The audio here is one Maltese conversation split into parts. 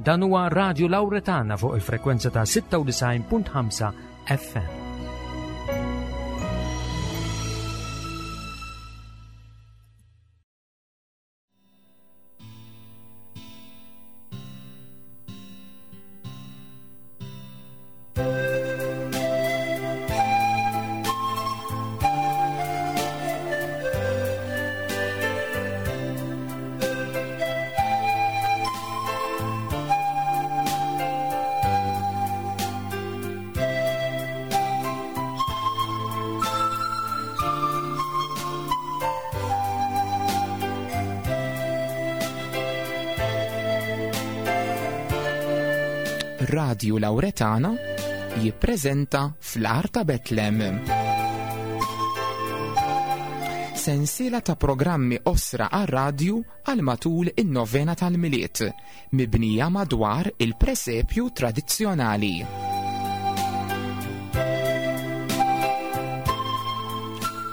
Dan huwa Radio Lauretana fuq il-frekwenza ta' 96.5 FM. Radju Lauretana jippreżenta fl-Ar ta' Betlem. Sensiela ta' programmi osra għar-radju għal matul in-novena tal-Milied, mibnija madwar il-presepju tradizzjonali.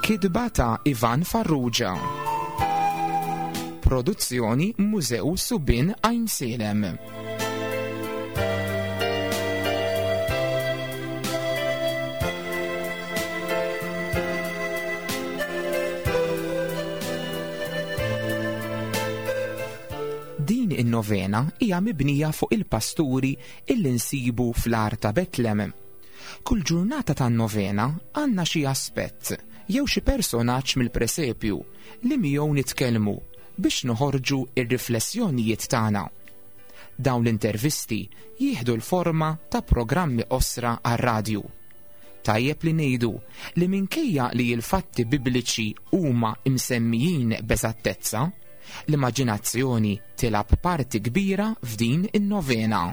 Kitba ta' Ivan Farrugia. Produzzjoni Mużew Subien Għajnsielem. Din in-novena hija mibnija fuq il-pasturi illi nsibu fl-għar ta' Betlem. Kull ġurnata tan-novena għandna xi aspett jew xi personaġġ mill-presepju li miegħu nitkellmu biex noħorġu r-riflessjonijiet tagħna. Dawn l-intervisti jieħdu l-forma ta' programmi qosra għar-radju. Tajjeb li ngħidu li minkejja li l-fatti bibliċi huma msemmijin b'eżattezza, l-immaġinazzjoni tilgħab parti kbira f'din in-novena.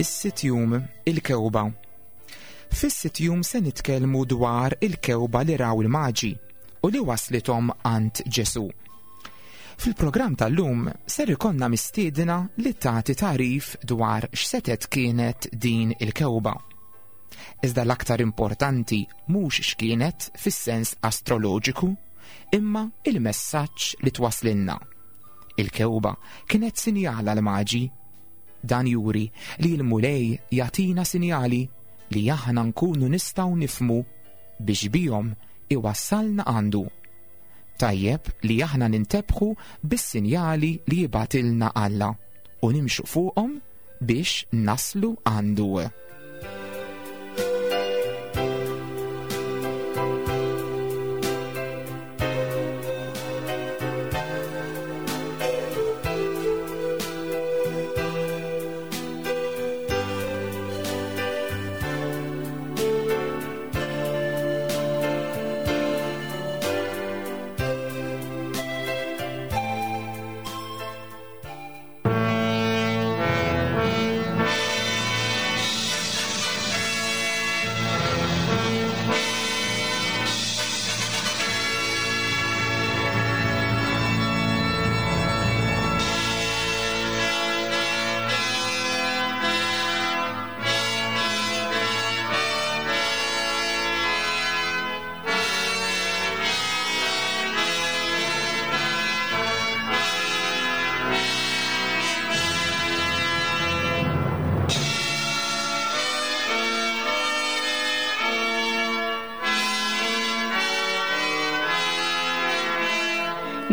Is-sitt jum, il-kewba. Fis-sitt jum se nitkellmu dwar il-kewba li raw il-maġi u li waslithom għand Ġesù. Fil-programm tal-lum ser ikollna mistiedna li tagħti tagħrif dwar x'setet kienet din il-kewba. Iżda l-aktar importanti mhux x'kienet fis-sens astroloġiku, imma il-messaġġ li twasslilna. Il-kewba kienet sinjal għall-maġi. Dan juri li l-Mulej jagħtina sinjali li aħna nkunu nistgħu nifhmu biex bihom iwassalna għandu. Tajjeb li aħna nintebħu bis-sinjali li jibgħatilna Alla u nimxu fuqhom biex naslu għandu.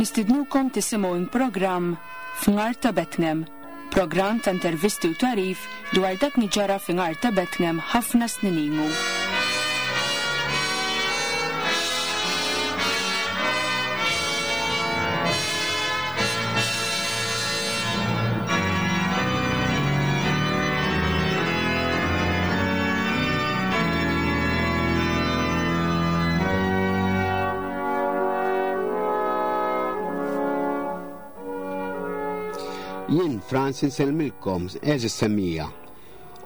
Nistidnukom tisimgħu programm F'Nhar ta' Bethlehem, programm ta' intervisti u tagħrif dwar dak li ġara f'Nhar ta' Bethlehem ħafna snin ilu. Jien Frans insellmilkom eżis semmija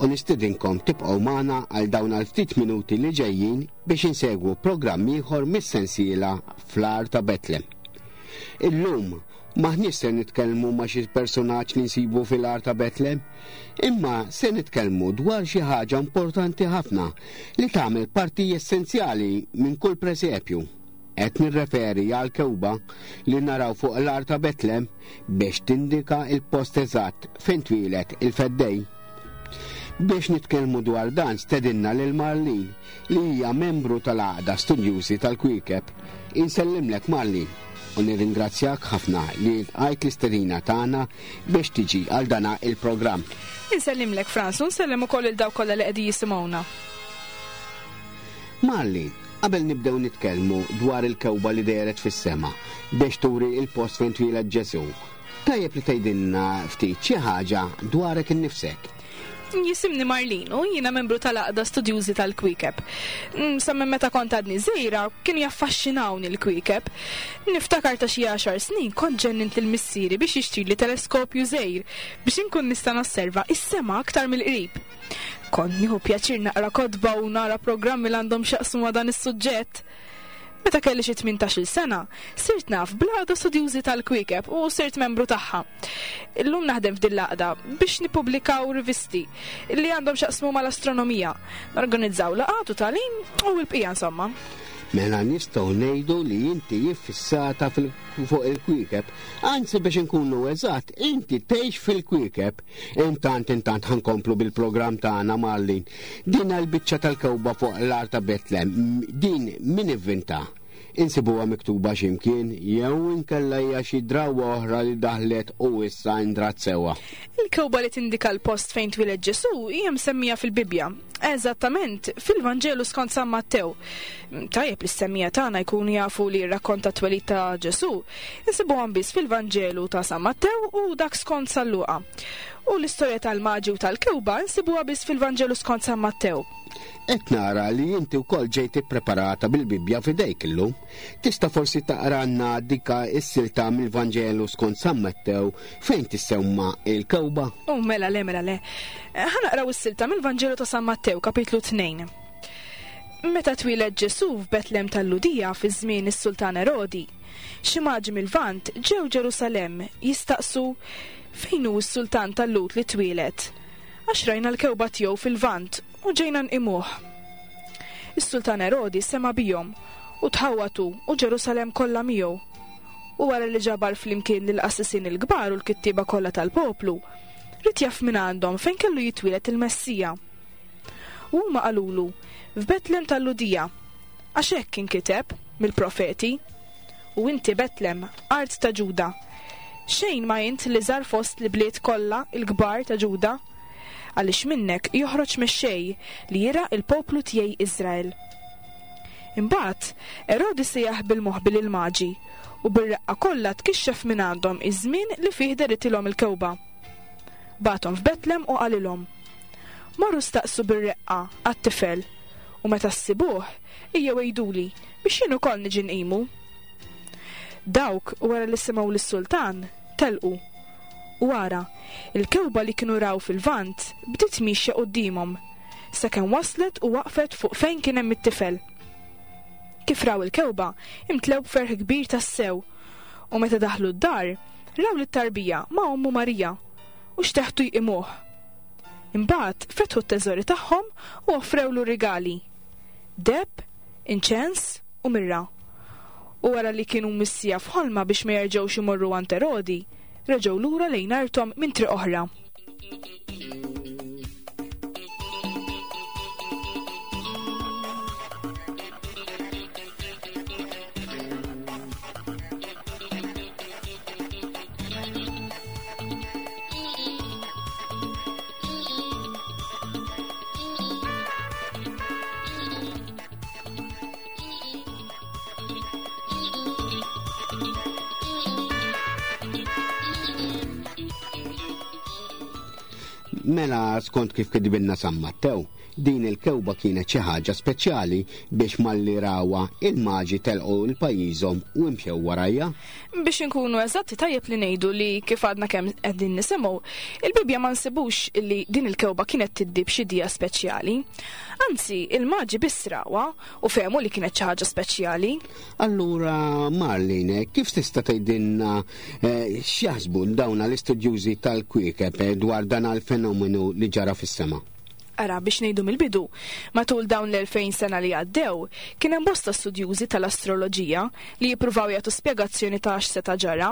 u nistidinkom tibqgħu magħna għal dawn għal ftit minuti li ġejjin biex insegwu programm ieħor mis-sensiela fl-ar ta' Betlem. Illum M'aħniex se nitkellmu ma' xi persunaġġ li nsibu fil-għar ta' Betlem, imma se nitkellmu dwar xi ħaġa importanti ħafna li tagħmel parti essenzjali minn kull presepju. Qed nirreferi għal kewba li naraw fuq l-għar ta' Betlem biex tindika il-post eżatt fejn twieled il-Feddej. Biex nitkellmu dwar dan stedinna lil Marlene li hija membru tal-Għaqda Studjużi tal-Kwiekeb. Insellimlek Marlene u nirringrazzjak ħafna li lqajt l-istedina tagħna biex tiġi għal dana il-programm. Insellimlek Frans u nsellem ukoll lil dawk kollha li qegħdin jisimgħuna. Marlene, qabel nibdew nitkellmu dwar il-kewba li dehret fis-sema biex turi il-post fejn twieled Ġesù, Tajjeb li tgħidilna ftit xi ħaġa dwarek innifsek. Jisimni Marlene u jiena membru tal-Għaqda Studjużi tal-Kwiekeb. Sa minn meta kont għadni żgħira kienu jaffaxxinawni l-kwiekeb. Niftakar ta' xi għaxar snin kont ġennint lil missieri biex jixtrili teleskopju żgħir biex inkun nista' nosserva s-sema aktar mill-qrib. Kont nieħu pjaċir naqra kotba u nara programmi li għandhom x'jaqsmu ma' dan is-suġġett. Meta kelli xi 18-il sena, sirt naf bl-Għaqda Studjużi tal-Kwiekeb u sirt membru tagħha. Illum naħdem f'din l-għaqda biex nippubblikaw rivisti li għandhom x'jaqsmu mal-astronomija, norganizzaw laqgħat u tagħlim u l-bqija insomma. Mela nistgħu ngħidu li inti iffissata fuq il-kwiekeb, anzi biex inkunu eżatt, inti tgħix fil-kwiekeb. Intant intant ħa nkomplu bil-programm tagħna Marlene. Din l-biċċa tal-kewba fuq l-għar ta' Betlem, din min ivvinta? Insibuha miktuba x'imkien jew inkella hija xi drawwa oħra li daħlet u issa indrat sewwa? Il-kewba li tindika l-post fejn twieled Ġesù hija msemmija fil-Bibbja, eżattament fil-Vanġelu skont San Mattew. Tajjeb li s-semmiegħa tagħna jkunu jafu li r-rakkont tat-twelid ta' Ġesù insibuhom biss fil-Vanġelu ta' San Mattew u dak skont San Luqa. U l-istorja tal-Maġi u tal-kewba nsibuha biss fil-Vanġelu skont San Mattew. Qed nara li inti wkoll ġejt ippreparata bil-Bibbja f'idejk illum. Tista' forsi taqralna dika s-silta mill-Vanġelu skont San Mattew fejn tissemma l-kewba? U mela le, mela le. Ħa naqraw is-silta mill-Vanġelu ta' San Mattew, kapitlu 2. Meta twieled Ġesù f'Betlem tal-Lhudija fi żmien is-Sultan Erodi, xi maġi mil-Lvant ġew Ġerusalemm jistaqsu, Fejn hu s-sultan tal-Lhud li twieled? Għax rajna l-kewba tiegħu fil-Lvant u ġejna nqimuh. Is-sultan Erodi sema' bihom, u tħawwad hu u Ġerusalemm kollha miegħu. U wara li ġabar flimkien lill-qassisin il-kbar u l-kittieba kollha tal-poplu, ried jaf mingħandhom fejn kellu jitwieled il-Messija. U huma qalulu, F'Betlem tal-Lhudija, għax hekk inkiteb mill-profeti, U inti, Betlem, art ta' Ġuda, xejn ma int l-iżgħar fost l-ibliet kollha l-kbar ta' Ġuda, għaliex minnek joħroġ mexxej li jirgħa l-poplu tiegħi Iżrael. Imbagħad Erodi sejjaħ bil-moħbi lill-Maġi, u bir-reqqa kollha tkixxef mingħandhom iż-żmien li fih dehritilhom il-kewba. Bagħathom f'Betlem u qalilhom, Morru staqsu bir-reqqa għat-tifel, u meta ssibuh, ejjew għiduli, biex jien ukoll niġi nqimu. Dawk, wara li semgħu lis-sultan, telqu. U ara, il-kewba li kienu raw fil-Lvant bdiet miexja quddiemhom, sakemm waslet u waqfet fuq fejn kien hemm it-tifel. Kif raw il-kewba, imtlew b'ferħ kbir tassew. U meta daħlu d-dar, raw lit-tarbija ma' ommu Marija, u xteħtu jqimuh. Imbagħad fetħu t-teżori tagħhom u offrewlu rigali, deheb, inċens u mirra. U wara li kienu mwissija f'ħolma biex ma jerġgħux imorru għand Erodi, reġgħu lura lejn arthom minn triq oħra. Mela skont kif kitbilna San Mattew, din il-kewba kienet xi ħaġa speċjali biex malli rawha il-maġi telqu 'l pajjiżhom u imxew warajha. Biex inkunu eżatti tajjeb li ngħidu li kif għadna kemm qegħdin nisimgħu, il-Bibbja ma nsibux li din il-kewba kienet tiddi b'xi dija speċjali. Anzi, il-maġi biss rawha u fehmu li kienet xi ħaġa speċjali. Allura, Marlene, kif tista' tgħidilna eh, x'jaħsbu dawn l-istudjużi tal-kwiekeb eh, dwar dan il-fenomenu li ġara fis-sema? Ara, biex ngħidu mill-bidu, matul dawn l-2000 sena li għaddew, kien hemm bosta studjużi tal-astroloġija li jippruvaw jagħtu spjegazzjoni ta' x'seta' ġara.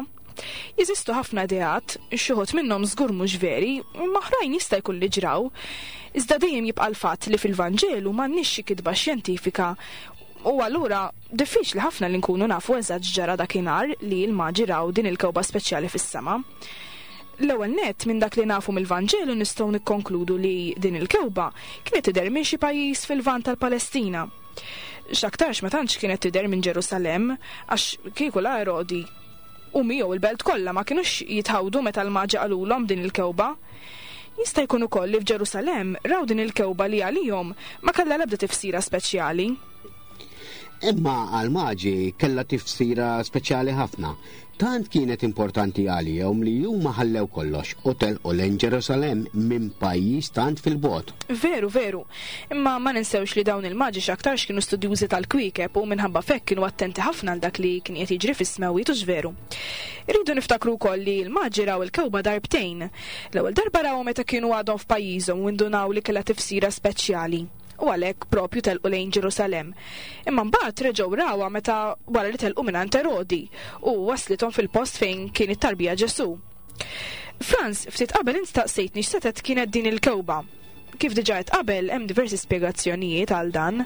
Jeżistu ħafna ideat, xi wħud minnhom żgur mhux veri, imma oħrajn jista' jkun li ġraw. Iżda dejjem jibqa' l-fatt li fil-Vanġelu m'għandniex xi kitba xjentifika u allura diffiċli ħafna li nkunu nafu eżatt x'ġara dakinhar li l-maġi raw din il-kewba speċjali fis-sema. L-ewwel nett minn dak li nafu mill-Vanġelu nistgħu nikkonkludu li din il-kewba kienet tidher minn xi pajjiż fil-Lvant tal-Palestina. X'aktarx ma tantx kienet tidher minn Ġerusalemm għax kieku la Erodi u miegħu l-belt kollha ma kinux jitħawdu meta l-maġi qalulhom din il-kewba. Jista' jkun ukoll li f'Ġerusalemm raw din il-kewba li għalihom ma kellha l-ebda tifsira speċjali. Imma għall-maġi kellha tifsira speċjali ħafna. Tant kienet importanti għalihom li huma ħallew kollox u telqu lejn Ġerusalemm minn pajjiż tant fil-bogħod. Veru, veru. Imma ma ninsewx li dawn il-maġi x'aktarx kienu studjużi tal-kwiekeb u minħabba f'hekk kienu attenti ħafna għal dak li kien qiegħed jiġri fis-smewwiet hux veru. Irridu niftakru wkoll li l-maġi raw il-kewba darbtejn. L-ewwel darba rawha meta kienu għadhom f'pajjiżhom u indunaw li kellha tifsira speċjali u għalhekk propju telqu lejn Ġerusalemm. Imma mbagħad reġgħu rawha meta wara li telqu mingħand Erodi u waslithom fil-post fejn kien it-tarbija Ġesù. Frans, ftit qabel int staqsejtni x'setgħet kienet din il-kewba. Kif diġà għedt qabel, hemm diversi spjegazzjonijiet għal dan.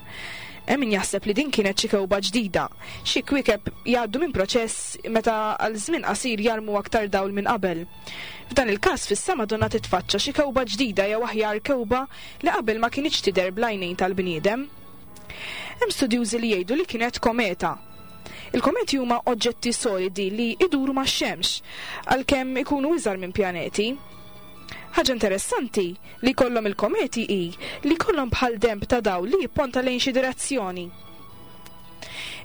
Hemm min jaħseb li din kienet xi kewba ġdida. Xi kwiekeb jgħaddu minn proċess meta għal żmien qasir jarmu aktar dawl minn qabel. F'dan il-każ fis-sema donnha titfaċċa xi kewba ġdida jew aħjar kewba li qabel ma kinitx tidher bl-għajnejn tal-bniedem. Hemm studjużi li jgħidu li kienet kometa. Il-kometi huma oġġetti solidi li jduru max-xemx, għalkemm ikunu iżgħar minn pjaneti. Ħaġa interessanti li jkollhom il-kometi hi li jkollhom bħal denb ta' dawl li jipponta lejn xi direzzjoni.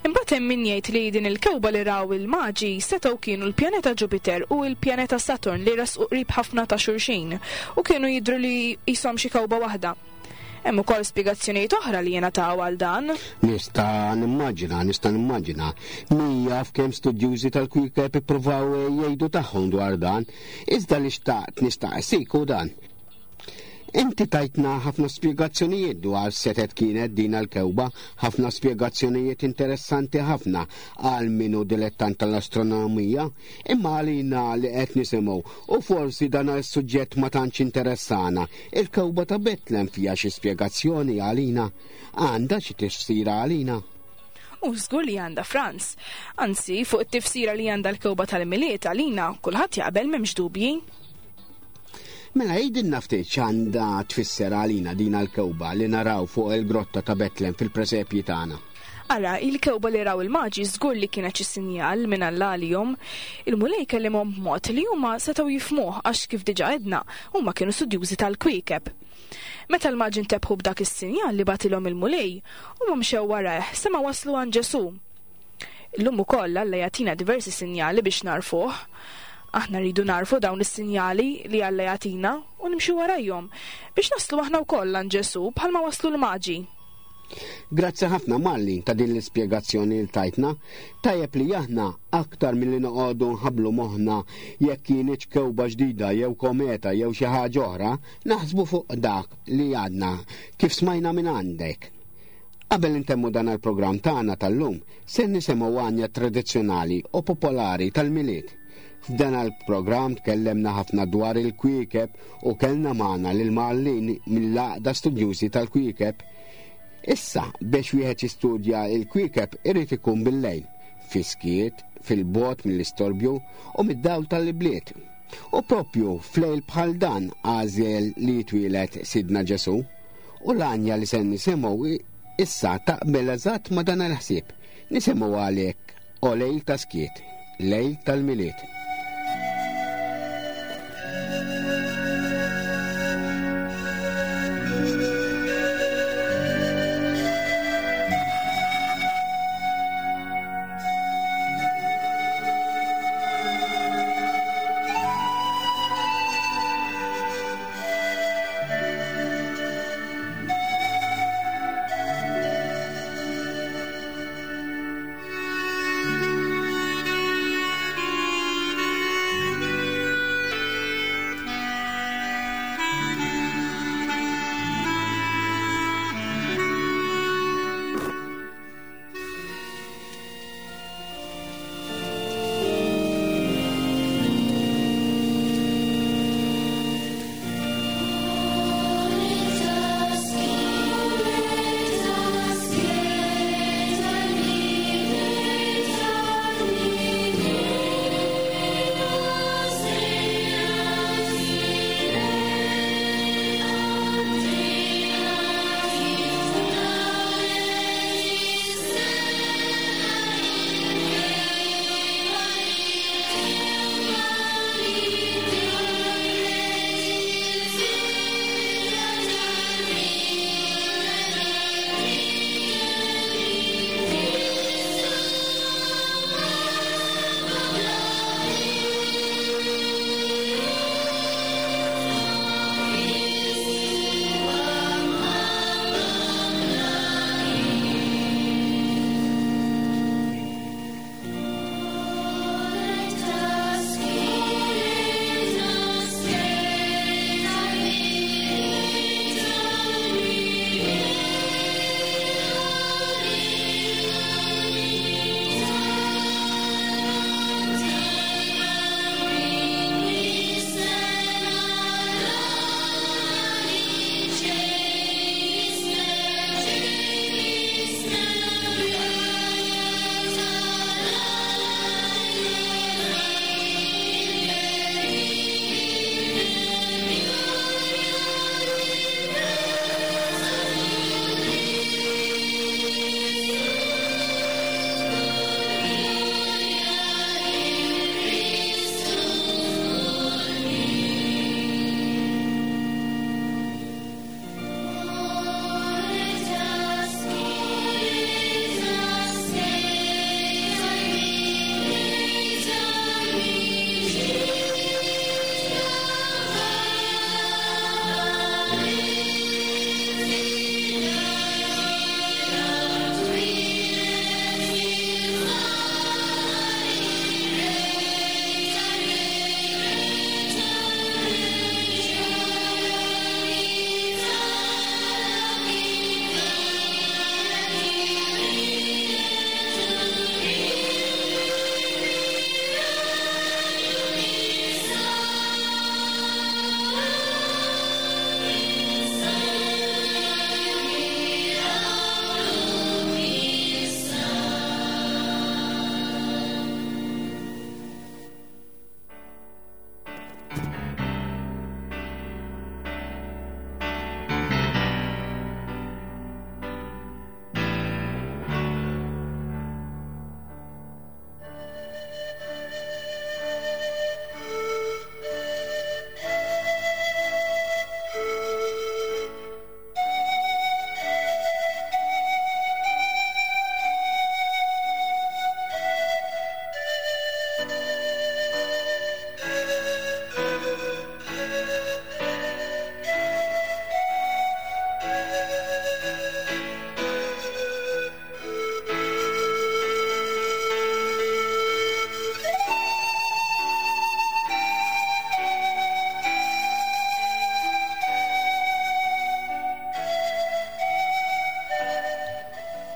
Imbagħad hemm min jgħid li din il-kewba li raw il-maġi setgħu kienu l-pjaneta Ġupiter u l-pjaneta Saturn li resqu qrib ħafna ta' xulxin u kienu jidhru li qishom xi kewba waħda. Hemm ukoll spjegazzjonijiet oħra li jingħataw għal dan. Nista' nimmaġina, nista' nimmaġina. Min jaf kemm studjużi tal-kwiekeb ippruvaw jgħidu tagħhom dwar dan, iżda li xtaqt nistaqsik hu dan. Inti tajtna ħafna spjegazzjonijiet dwar setet kienet din l-kewba, ħafna spjegazzjonijiet interessanti ħafna għal min hu dilettant tal-astronomija, imma għalina li qed nisimgħu u forsi dan is-suġġett ma tantx interessana, Il-kewba ta' Betlem fiha xi spjegazzjoni għalina? Għandha xi tifsira għalina? U żgur li għandha Franz. Anzi, fuq it-tifsira li għandha l-kewba tal-Milied għalina kulħadd jaqbel m'hemmx dubji. Mela jgħidilna ftit x'għandha tfisser għalina din l-kewba li naraw fuq il-grotta ta' Betlem fil-presepji tagħna. Ara, il-kewba li raw il-maġi żgur li kienet xi sinjal minn Alla għalihom. Il-Mulej kellimhom b'mod li huma setgħu jifhmuh għax kif diġà għedna, huma kienu studjużi tal-kwiekeb. Meta l-maġi ntebħu b'dak is-sinjal li bagħtilhom il-Mulej, huma mxew warajh sa ma waslu għand Ġesù. Illum ukoll Alla jagħtina diversi sinjali biex nagħrfuh. Aħna rridu nagħrfu dawn is-sinjali li Alla jagħtina u nimxu warajhom biex naslu aħna wkoll għand Ġesù bħalma waslu l-maġi. Grazzi ħafna Marlin ta' din l-ispjegazzjoni li tajtna. Tajjeb li aħna aktar milli noqogħdu nħabblu moħħna jekk kienitx kewba ġdida jew kometa jew xi ħaġa oħra, naħsbu fuq dak li għadna kif smajna minn għandek. Qabel intemmu dan il-programm tagħna tal-lum, se nisimgħu għanja tradizzjonali u popolari tal-Milied. F'dan il-programm tkellemna ħafna dwar il-kwiekeb u kellna magħna lil Marlin mill-Għaqda Studjużi tal-Kwiekeb. Issa, biex wieħed jistudja l-kwiekeb irid ikun bil-lejl, fis-skiet, fil-bogħod mill-istorbju u mid-dawl tal-ibliet. U propju f'lejl bħal dan għażel li jitwieled Sidna Ġesù. U l-għanja li se nisimgħu issa taqbel eżatt ma' dan il-ħsieb. Nisimgħu għalhekk O lejl ta' skiet, lejl tal-Milied.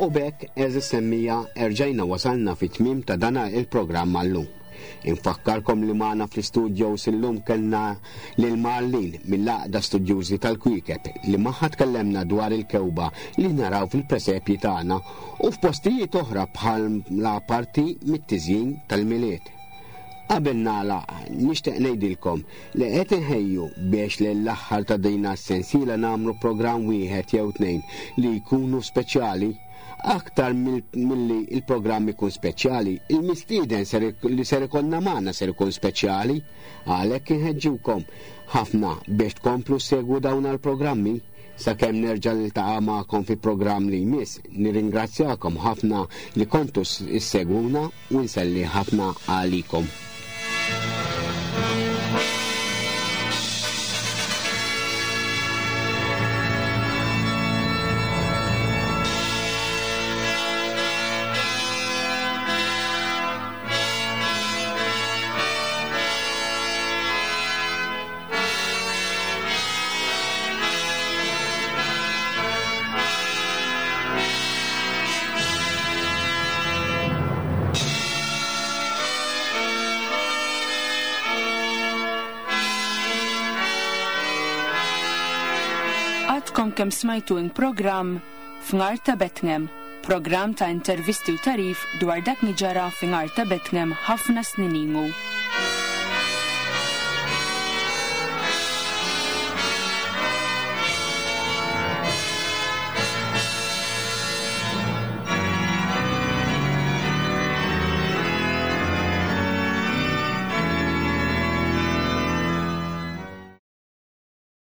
U b'hekk għeżież semmija erġajna wasalna fit-tmiem ta' dana il-programm għal-lum. Infakkarkom li magħna fl-istudios illum kellna lil Marlene mill-Għaqda Studjużi tal-Kwiekeb li magħha tkellemna dwar il-kewba li naraw fil-presepji tagħna u f'postijiet oħra bħala parti mit-tiżjin tal-Milied. Qabel nagħlaq, nixtieq ngħidilkom li qed inħejju biex lejn l-aħħar ta' dina s-sensiela nagħmlu programm wieħed jew tnejn li jkunu speċjali. Aktar milli l-programm ikun speċjali, il-mistieden li ser ikollna magħna ser ikun speċjali. Għalhekk inħeġġukom ħafna biex tkomplu ssegwu dawn l-programmi. Sakemm nerġa' niltaqa' magħkom fi programm li jmiss, nirringrazzjakom ħafna li kontu ssegwuna u nselli ħafna għalikom. Għadkom kemm smajtu in programm F'Nhar ta' Bethlehem, programm ta' intervisti u tarif dwar dak li ġara fi Nhar ta' Bethlehem ħafna snin ilu.